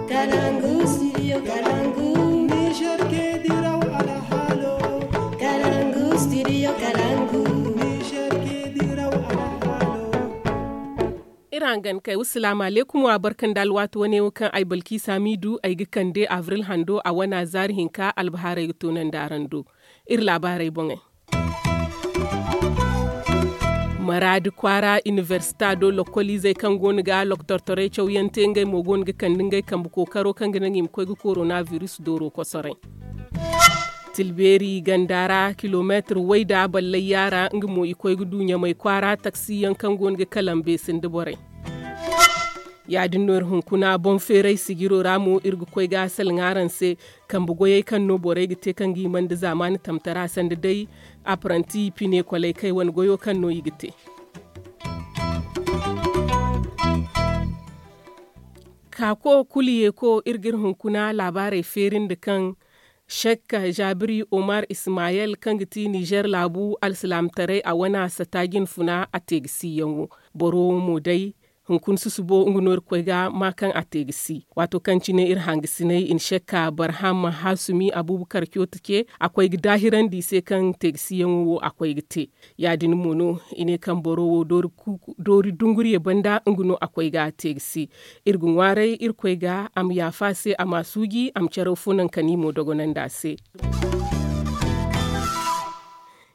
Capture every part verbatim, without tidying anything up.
Kalangu studio kalangu. Niger ke diraw alhalo. Kalangu studio kalangu. Niger ke diraw alhalo. Iri hangan kay wasalaamu aleykum wa barka nda alwaati wane wo kaŋ ay balki saamiidu ay ga kande abril hando a wana zaari hinka albahaarey ga toonandi araŋ do. Iri laabaarey boŋey. Maraadi kwaara inibersita do lokkoliizey kaŋ go no ga loktortorey cawyaŋ te ngey mo go no ga kande ngey kambe kookaro kaŋ ga naŋ i ma koy ga korona biris dooro kosoray. Tilbeeri ganda ra kilomeetir wayda ballay yaara nga mo i koy ga du ɲamay kwaara taksiyaŋ kaŋ go no ga kalambe sinda borey. Ya- din no iri hunkuna boŋ feeray sijiro ra mo iri ga koy ga a salaŋ araŋ se. Kambe goyey kaŋ no borey ga te kaŋ ga hima nda zaamaani tamtara sanda day apparanti pine kwalay kay wane goyo kaŋ no i ga te. Kaako kulu yeeko iri ga iri hunkuna laabaarey feeri nda kaŋ shek jaabiri omar ismayel kaŋ ga ti nizer laabu alsilaamataray a wane a sata jinfuna a te ga siiyaŋo. Boro wo mo day hunkuna susubo nga no iri koy ga ma kaŋ a te ga si. Waato kaŋ cine iri hangasinay i na shek ka barham hasumi abubakar kyoto ce a koy ga daahirandi i se kaŋ te ga siiyaŋo wo a koy ga te. Ya- din mo no i ne kaŋ boro wo doori dunguriye banda nga no a koy ga a te ga si. Iri ga ŋwaaray irkoy ga a ma yaafa a se a ma a suuji a ma caraw fo naŋ ka ni mo dogonandi a se.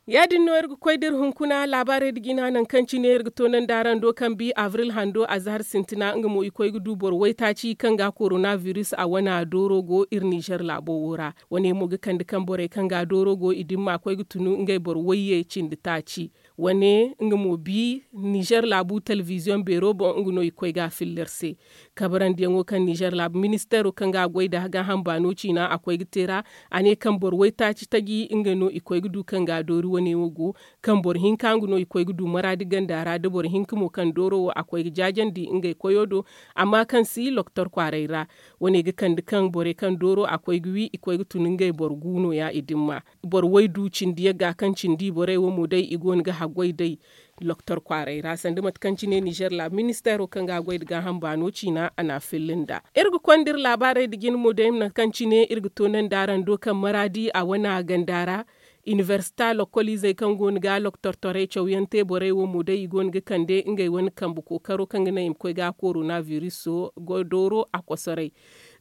Ya- din no iri ga koy da iri hunkuna laabaarey nda jina nangu kaŋ cine iri ga toonandi araŋ do kaŋ bi abril hando azahar sintina nga mo i koy ga du boro waytaaci kaŋ ga korona biris a wana dooro go iri nizer laabo wo ra. Wane mo ga kande kaŋ borey kaŋ ga dooro go i dimma koy ga tunu ngey boro wayye cindi taaci. Wane nga mo bi nizer laabu telebiziyoŋ beero boŋ nga no i koy ga a filla iri se. Kabarandiyaŋo kaŋ nizer laabu ministeero kaŋ ga a goy nda gaaham baano ciina a koy ga te ra. A ne kaŋ boro waytaaci taji nga no i koy ga du kaŋ ga a doori wane wo go kaŋ boro hinka nga no i koy ga du maraadi ganda ra da boro hinka mo kaŋ dooro wo a koy ga jaajandi ngey koyo do. Amma kaŋ si loktor kwaaray ra wane ga kande kaŋ borey kaŋ dooro a koy ga wi i koy ga tun ngey boro gu no- ya i dimma. Boro waydu cindi yagga kaŋ cindi borey wo mo day i go no ga haggoy day. Loktor kwaaray ra sanda mate kaŋ cine nizer laabu ministeero kaŋ ga a goy nda gaaham baano ciina a na a filla nd'a. Iri ga konda iri laabaarey nda jina mo day mate kaŋ cine iri ga toonandi araŋ do kaŋ maraadi a wane a ganda ra. Inibersita lokkoliizey kaŋ go no ga loktortorey cawyaŋ te borey wo mo day i go no ga kande ngey wane kambe kookaro kaŋ ga naŋ i ma koy ga korona biriso dooro a kosoray.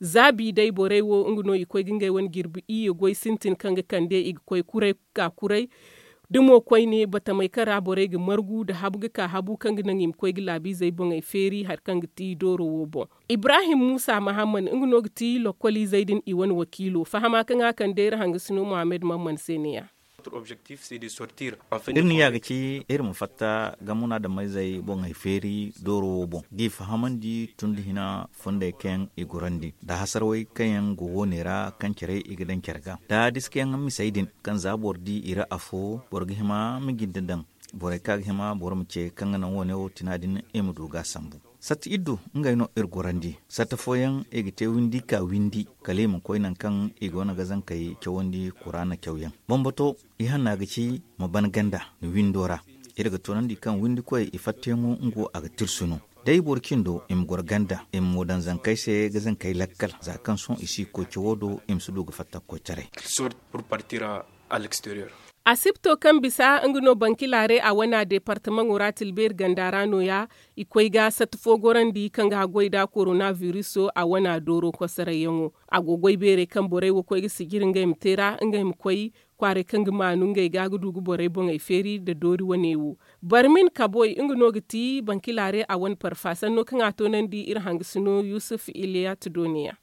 Za bi day borey wo nga no i koy ga ngey wane jirbi iyye goy sintin kaŋ ga kande i ga koy kuray ga ka kuray. Da mo koyne batamey kaŋ ra borey ga margu nda habu ga ka habu kaŋ ga naŋ i ma koy ga laabiizey boŋey feeri hari kaŋ ga ti dooro wo boŋ. Ibrahim muusa mahamman nga no ga ti lokkoliizey din i wane wakiilo fahama kaŋ a kande iri hangasino muhammad mamman se ne- ya. Iri niya ga ci iri ma fatta ga munaadamey zey boŋey feeri dooro wo boŋ g'i fahamandi tun da hina fondey kaŋ yaŋ i gorandi nda hasarawey kaŋ yaŋ go wo- ne ra kaŋ care i ga daŋ care ga da diska yaŋ misey din kaŋ za boro di i ra afo boro ga hima ma jinde daŋ. Borey kaŋ a ga hima boro ma ce kaŋ ga naŋ wo- ne wo tina din i ma du ga a sambu. Satta iddu ngey no iri gorandi satta fooyaŋ i ga te windi ka windi kala i ma koy nangu kaŋ i go no ga zankey cawandi kuraana cawyaŋ. Bambato i hanna ga ci ma ban ganda ni windo ra. Iri ga toonandi kaŋ windikoy i fattayaŋo nga wo a ga tirsu no. Day boro cindo i ma goro ganda i ma mo daŋ zankey se ga zankey lakkal za kaŋ sohõ i si koy cawo do i ma si du ga fatta ga koy taray. Asibto kaŋ bisa nga no bankilaare a wana deepartamaŋo ra tilbeeri ganda ra no- ya. I koy ga satta fo gorandi kaŋ ga haggoy nda korona biriso a wana dooro kosarayyaŋo. A go goy beerey kaŋ borey wo koy ga sijiri ngey ma te ra ngey ma koy kwaaray kaŋ ga maanu ngey ga ga du ga borey boŋey feeri nda doori wane wo. Barmin kaboy nga no ga ti bankilaare a wane parfa sanno kaŋ a toonandi iri hangasino yusuf iliyat do ne- ya.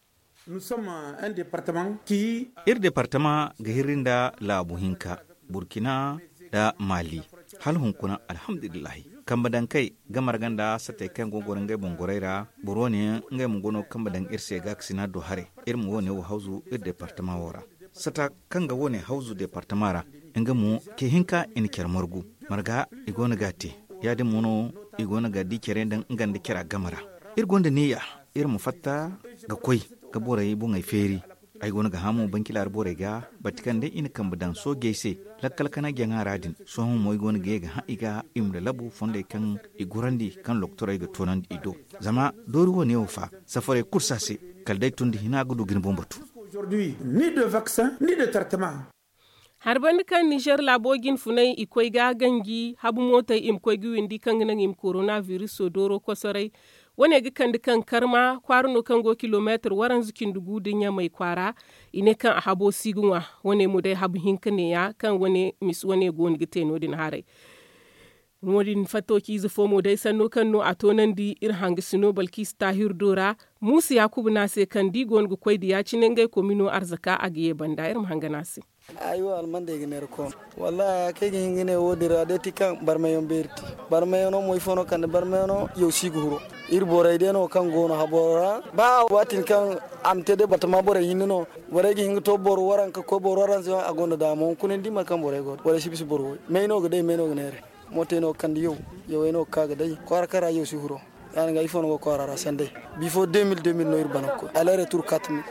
Iri departama ga hirri nda laabu hinka burkina nda mali. Hala hunkuna alhamdulillahi kambe dankey ga marga nda satey kaŋ go ga goro ngey boŋ gorey ra. Boro wane yaŋ ngey ma go no kambe daŋ iri se ga ga sina do haray. Iri ma wane wo hawzu iri departama wo ra sata kaŋ ga wane hawzu departama ra. Nga mo ce hinka i na care margu marga i go no ga a te. Ya- din mo no i go no ga di care daŋ nga nda cara game ra. Iri gonda niya iri ma fatta ga koy ga borey boŋey feeri. Ay go no ga hã mo banki laara borey ga bati kaŋ day i na kambe daŋ soojey se lakkal kana jaŋa ra din. Sohõ mo ay go no ga ye ga hã i ga i ma lalabu fondey kaŋ i gorandi kaŋ lokotorey ga toonandi i do. Zama doori wane wo fa safarey kulu si a se kala day tun da hina ga du ga ni boŋ batu. Hari banda kaŋ nizer laabo jinfunay i koy ga ganji habu mootey i ma koy ga windi kaŋ ga naŋ i ma korona viriso dooro kosoray. Wane ga kande kaŋ karma kwaara no kaŋ go kilomeetir waranza cindi gu nda ɲamay kwaara. I ne kaŋ a habo si ga ŋwa. Wane mo day habu hinka neeya kaŋ mise wane go no ga te no- din haray. No- din fattociize fo mo day sanno kaŋ no a toonandi iri hangasino balkiisa taahir do ra. Muusa yaakuba no a se kaŋ da i go no ga koy da ya- cine ngey komino arzaka a ga ye banda iri ma hangan a se. Ay wo almandey ga neera koono. Wallaahi haya kaŋ ay ga hin ga ne wo- din ra day ti kaŋ barmayaŋ beeri te. Barmayaŋo mo ifo no kande barmayaŋo yaw si ga huro. Iri borey day no kaŋ go no haboro ra ba waatin kaŋ a ma te day batama borey hinne no. Borey ga hin ga to boro waranka koy boro waranza yaŋ a gonda daama hunkuna ni di mate kaŋ borey go borey si bisa boro way may no ga day may no ga neera. Mootey no ga kande yaw. Yawey no ga ka ga day kwaara kaŋ ra yaw si huro. Ya- din ga ifo no go kwaara ra sanday. Bifo deux mille deux mille no iri bana ga koy aller retour quatre mille.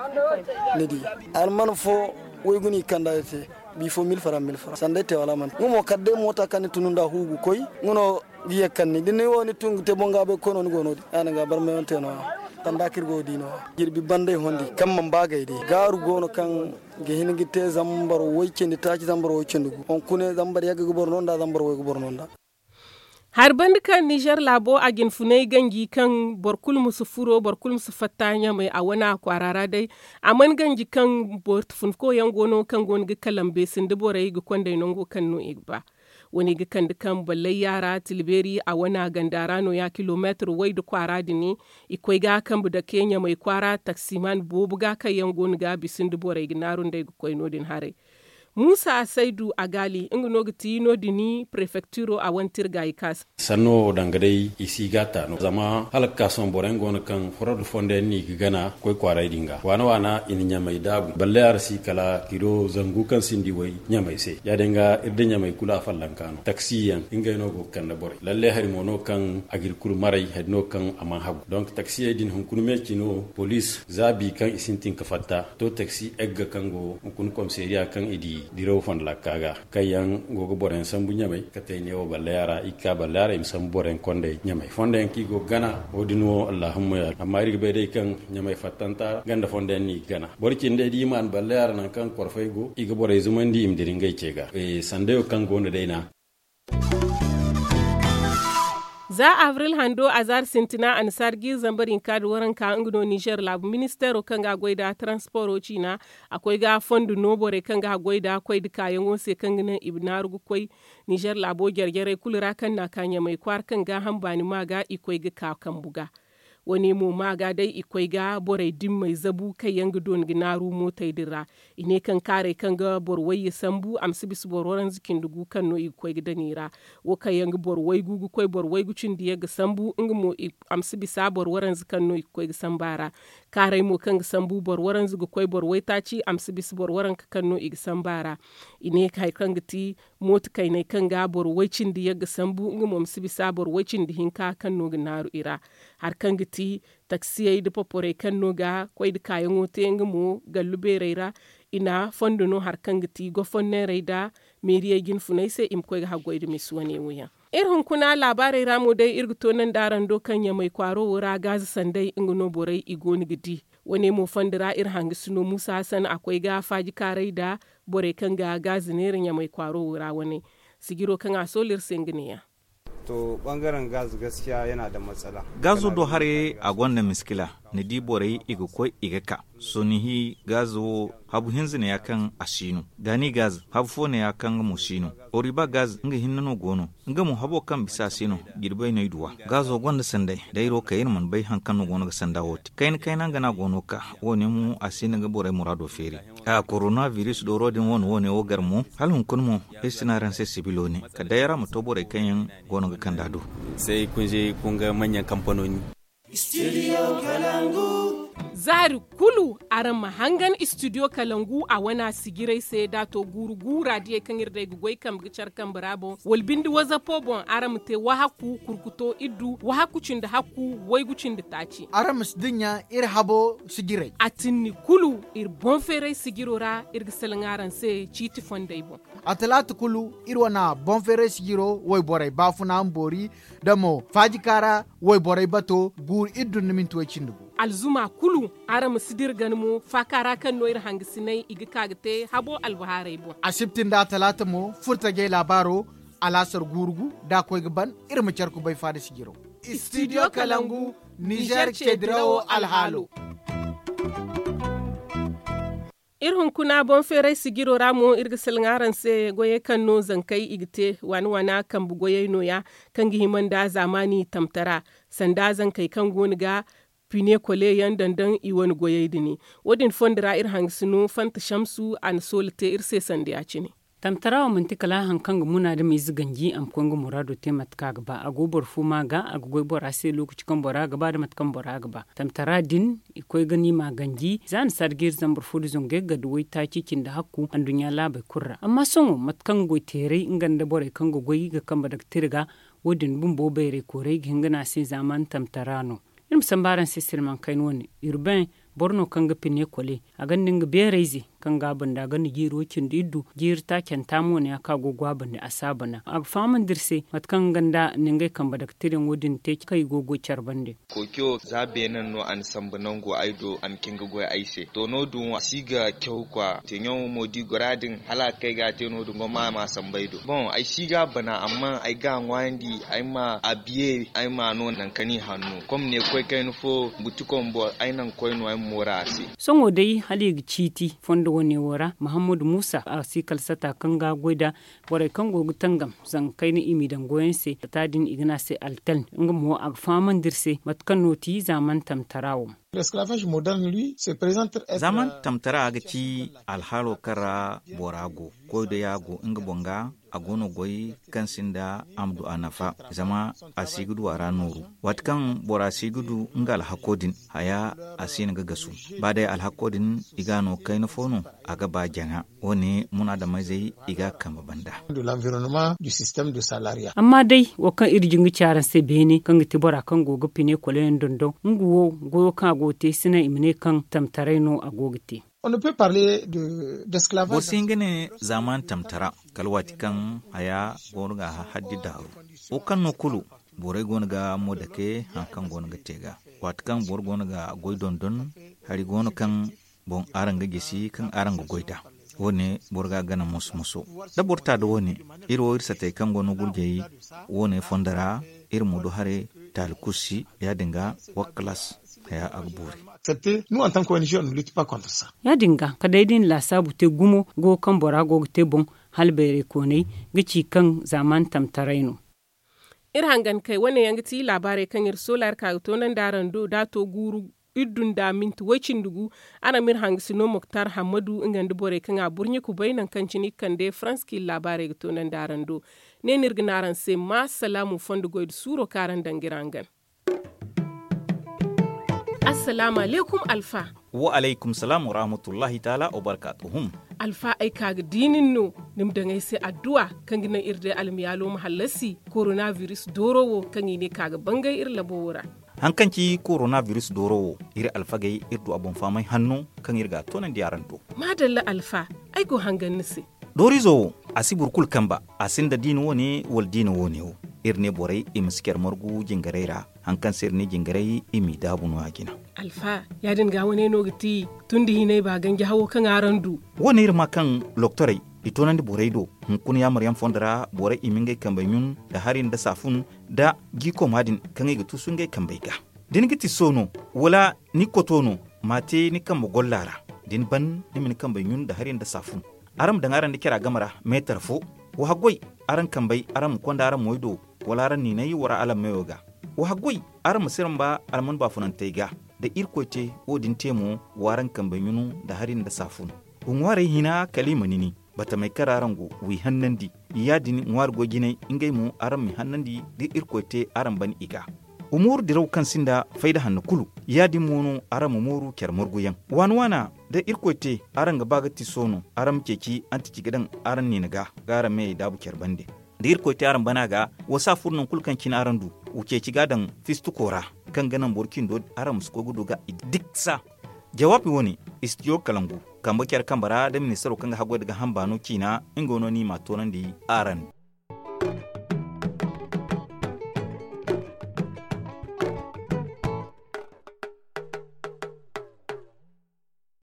Ni di alman fo waygu no i ga kanda iri te. Bifo mille fara mille fara sanday te wala man nga mo kala day moota kaŋ ni tunu nda hu ga koy. Nga no ga ye ga kande ni da ni wo ni tun ga te boŋ gaabay ga koy no ni go no- din ya- din ga barmayaŋ te no- ya. Sanda kaŋ iri go ga di no- ya jirbi banday hondi kaŋ mana ba gay day gaaru go no kaŋ ga hin ga te zambar way cindi taaci zambar way cindi gu hunkuna zambar yagga ga boro no nda zambar way ga boro no nda. Hari banda kaŋ nizer laabo a jinfunay ganji kaŋ boro kulu ma si furo boro kulu ma si fatta ɲamay a wane a kwaara ra day. A mana ganji kaŋ boro funko yaŋ go no kaŋ go no ga kalambe sindi borey ga konday nango kaŋ no i ga ba. Wane ga kande kaŋ ballayya ra tilbeeri a wane a ganda ra no- ya kilomeetir way nda kwaara din. I koy ga kambe dake ɲamay kwaara taksiman boobo ga kaŋ yaŋ go no ga bisa nda borey ga naaru nd'ey ga koy no- din haray. Muusa asaydu a gaali nga no ga ti no- din prefektiro a wane tirga i kaasa. Sanno danga day i si ga a ta no zama hala ga ka sohõ boro yaŋ go no kaŋ forod fondo yaŋ no i ga gana ga koy kwaaray din ga waana waana i na ɲamay daabu balle a ra si kala kilo zangu kaŋ sinda i way ɲamay se ya- din ga iri da ɲamay kulu a fallanka no taksi yaŋ ngey no go ga kande borey lalle hari mo no kaŋ a ga iri kulu maray hari no kaŋ a mana hagu donk taksiyey din hunkuna meeci no poliis za bi kaŋ i sintin ga fatta to taksi egga kaŋ go hunkuna komiseeriya kaŋ i di diraw fondo lakka ga kaŋ yaŋ go ga boro yaŋ sambu ɲamay katey neewo balleya ra i ga ka balleya ra i ma sambu boro yaŋ kondey ɲamay fondo yaŋ kaŋ i go ga gana wo- din wo allahumma ya amma iri ga bay day kaŋ ɲamay fattanta ganda fondo yaŋ no i ga gana boro cindey da i maan balleya ra nangu kaŋ korfey go i ga borey zumandi i ma dira ngey ce ga sandayo kaŋ go no day na. Za abril hando azaari sintina annasaari jiiri zambar hinka nda waranka nga no nizer laabu ministeero kaŋ ga a goy nda taransporo ciina a koy ga fondo no borey kaŋ ga a goy nda koy nda kaayaŋo se kaŋ ga naŋ i ma naaru ga koy nizer laabo jare-jarey kulu ra kaŋ na a ka ɲamay kwaara kaŋ gaaham baani ma ga i koy ga ka kambu ga. Wo- ne mo ma ga day i koy ga borey dimmey zabu kaŋ yaŋ ga dooni ga naaru mootey din ra. I ne kaŋ kaarey kaŋ ga boro wayye sambu a ma si bisa boro waranza cindi gu kaŋ no i ga koy ga daŋ i ra. Wo kaŋ yaŋ ga boro waygu ga koy boro waygu cindi yagga sambu nga mo a ma si bisa boro waranza kaŋ no i ga koy ga sambu a ra. Kaarey mo kaŋ ga sambu boro waranza ga koy boro waytaaci a ma si bisa boro waranka kaŋ no i ga sambu a ra. I ne hari kaŋ ga ti mooto kayney kaŋ ga boro way cindi yagga sambu nga mo ma si bisa boro way cindi hinka kaŋ no ga naaru i ra. Hari kaŋ ga ti taksiyey nda poporey kaŋ no ga koy nda kaayaŋo te nga mo gallu beerey ra. I na fondo no hari kaŋ ga ti gofonneerey nda meeriyey jinfuney se i ma koy ga haggoy nda misi wane wo yaŋ. Iri hunkuna laabaarey ra mo day iri ga toonandi araŋ do kaŋ ɲamay kwaaro wo ra gaaze sanday nga no borey i go no ga di. Wane mo fondo ra iri hangasino muusa hasan a koy ga faaji kaaray nda borey kaŋ ga gaaze neera ɲamay kwaaro wo ra wane. Sijiro kaŋ a soolu iri se nga neeya. To bangaren gaz gaskiya yana da matsala. Gaazo do haray a gonda miskila. Ni di borey i ga koy i ga ka sohõ ni hi gaz wo habu hinza neeya kaŋ a si no. Gaani gaz habu fo neeya kaŋ nga mo si no. Oriba gaz nga hinne no go no. Nga mo habo kaŋ bisa a si no. Jirbey no ay duw'a. Gaazo gonda sanday dayro kay iri mana bay hari kaŋ no go no ga sanda wo te kayna kayna nga no a go no ga ka. Wo- ne mo a si no ga borey muraado feeri. A korona biris dooro din wane wo- ne wo gar mo hala hunkuna mo ay si no araŋ se sibilo ne kala day araŋ ma to borey kaŋ yaŋ go no ga kand'a do. Say kunze kunga manyaŋ kampanoni. Studio kalangu. Zaari kulu araŋ ma hangan istidiyo kalangu a wana sijirey se da a to guuru guura diyey kaŋ iri day ga goy kambe ga care kambe ra boŋ wala binde wazapo boŋ araŋ ma te wahakku kurkuto iddu wahakku cindi hakku waygu cindi taaci. Araŋ ma si dinya iri habo sijirey a tinni kulu iri boŋ feeray sijiro ra. Iri ga salaŋ araŋ se ciiti fondey boŋ. A talaata kulu iri wana boŋ feeray sijiro wayborey baafuna ma boori da mo faajikaara wayborey bato guuru iddu nda minti way cindi gu. Alzuma kulu araŋ ma si dira gana mo faaka ra kaŋ no iri hangasinay i ga ka ga te habo albahaarey boŋ. Asibti nda a talaata mo furtajey laabaaro alaasar guuru gu da a koy ga ban. Iri ma care kubay faada sijiro. Istidiyo kalangu nizer ceedirawo alhaalo. Iri hunkuna boŋ feeray sijiro ra mo iri ga salaŋ araŋ se goyey kaŋ no zankey i ga te waana waana kambe goyey nooya kaŋ ga hima nda zaamaani tamtara sanda zankey kaŋ go no ga pine kole yaŋ dandaŋ i wane goyey din. Wo- din fondo ra iri hangasino fanta shamsu a na soola te iri se sanda ya- cine. Tamtara wo manti kala hari kaŋ ga muna da ma ize ganji a ma koy nga muraado te mate kaŋ a ga ba a go boro fo ma ga a ga goy bora se lookaci kaŋ bora ga ba da mate kaŋ bora ga ba tamtara din. I koy ga ni ma ganji za ni sarga iri zambar fo da zangu yagga da waytaaci cindi hakku anduɲɲa laabey kulu ra amma sohõ mate kaŋ ga goy teeray nga nda borey kaŋ ga goy ga kambe daga tira ga. Wo- din bumbo bayray koorey ga hin ga ne a se zaamaani tamtara no. Iri ma sambu araŋ se sirmankayna wane urbain boro no kaŋ ga pine kole a gonda nga beerayze kaŋ ga a banda a gonda jiiri way cindi iddu jiiri taacanta mo ne ya kaŋ a go ga go a banda a si a bana a ga fahamandi iri se mate kaŋ nga nda ningey kambe daga tirayaŋo din te kaŋ i go ga goy care bande. Kookiyo za beene no a na sambu nango ay do a na cin ga goy ay se to no- din wo a si ga caw kwa teeɲaŋo mo da i goro a din hala a ga kay ga a te no- din gomma a ma a sambu ay do boŋ ay si ga a bana amma ay ga a ŋwaayandi ay ma a biye ay ma a no nangu kaŋ i hanno kom ne koy kayna fo buti kombo ay naŋ koy no ay ma mooru a se. Sohõ day hala i ga ciiti fondo wane wo ra mahammadu muusa a si kala sata kaŋ ga a goy nd'a borey kaŋ go ga tangam zanga kayna i m'i daŋ goyaŋ se sata din i ga ne a se altal nga mo a ga fahamandi iri se mate kaŋ no ti zaaman tamtara wo. Zaaman tamtara ga ci alhaalo kaŋ ra bora go koy da ya go nga boŋ ga a go no goy kaŋ sinda a ma du a nafa zama a si ga du a ra nooru waati kaŋ bora si ga du nga alhako din haya a si na ga gasu ba day alhako din i ga no kayna fo no a ga ba jaŋa wo- ne munaadamizey i ga a kambe banda. Amma day wo kaŋ iri jin ga ci araŋ se beene kaŋ ga ti bora kaŋ go ga pine koloyaŋ dondon nga wo goyo kaŋ a go ga te si naŋ i ma ne kaŋ tamtaray no a go ga te. Boro si hin ga ne zaamaani tamtara kala waati kaŋ haya go no ga a hahaddi daaru wo kaŋ no kulu borey go no ga mo dake hari kaŋ go no ga te ga waati kaŋ boro go no ga goy dondon hari go no kaŋ boŋ araŋ ga gisi kaŋ araŋ ga goy nd'a. Wo- ne boro ga a gana moso moso da boro ta nda wo- ne iri wo iri satey kaŋ go no gurjey wo- ne fondo ra iri ma du haray taali kulu si ya- din ga wakkalas haya a ga boori. Ya- din ga kala day da i na laasaabu te gumo goyo kaŋ bora go ga te boŋ hala bayray koonay ga ci kaŋ zaamaani tamtaray no. Iri hangan kay wane yaŋ ga ti laabaarey kaŋ iri soolaari ka ga toonandi araŋ do da a to guuru iddu nda minti way-cindi gu. Araŋ ma iri hangasino moktar hammadu nga nda borey kaŋ a burɲe kubay nangu kaŋ cine i ga kande farans kaŋ iri laabaarey ga toonandi araŋ do. Ne no iri ga ne araŋ se ma salaamu fondo goy nda suuro kaŋ araŋ daŋ ga iri hangan. Assalaamu alaykum alfa. Wa alaykum salaam wa rahmatullahi taala wa barkaatuhum. Alfa ay ka ga di nin no ni ma daŋ ay se adduwa kaŋ ga naŋ iri day almiyaalo ma hallasi korona biris dooro wo kaŋ i ne ka ga bangay iri labo wo ra. Hari kaŋ ci korona biris dooro wo iri alfagey iri du a boŋ fahamay hanno kaŋ iri ga a toonandi araŋ do. Maadalla alfa, ay go hangan ni se. Dooriizo wo, a si boro kulu kamba a sinda diina wo- ne wala diina wo- ne wo. Iri ne borey i ma si care margu jingarey ra. Hari kaŋ se iri ne jingarey i m'i daabu no- ya jina. Alfa, ya- din ga wane no ga ti tun da hinay ba ganji hawo kaŋ araŋ du. Wo- ne iri ma kaŋ loktorey i toonandi borey do hunkuna yaamaryaŋ fondo ra borey i ma ngey kambey ɲun nda hari nda saafun nda jiikooma din kaŋ i ga tuusu ngey kambey ga. Da ni ga ti so no, wala ni koto no, m'a te ni kambe golla ra. Da ni ban ni ma ni kambey ɲun nda hari nda saafun. Araŋ ma daŋ araŋ nda cara game ra meetar fo. Wa haggoy, araŋ kambey araŋ ma konda araŋ moy do, wala araŋ niinay wara alammeyo ga. Wa haggoy, araŋ ma si ramba alman baafunantey ga. Da irkoy te wo- din te mo, w'araŋ kambey ɲunu nda hari nda saafun. Wa ŋwaarey hina kala i ma nini batamey kaŋ ra araŋ go, w'i hannandi. Ya- din ŋwaari goy jinay ngey mo araŋ m'i hannandi da irkoy te araŋ ban i ga. Wa mooru diraw kaŋ sinda fayda hanno kulu. Ya- din mo no araŋ ma mooru care marguyaŋ waana waana. Da irkoy te araŋ ga ba ga tiso no, araŋ ma ceeci antici ga daŋ araŋ niina ga, ga araŋ meyey daabu care bande. Da irkoy te araŋ bana ga, wa si a furo nangu kulu kaŋ cine araŋ du, wa ceeci ga a daŋ fistuko ra, kaŋ ga naŋ boro cindo araŋ ma si koy ga du ga i diksa. Jawaabi wo- ne, istidiyo kalangu, kambe care kambe ra nda ministaro kaŋ ga haggoy nda ga hamba no ciina, nga no no i m'a toonandi araŋ.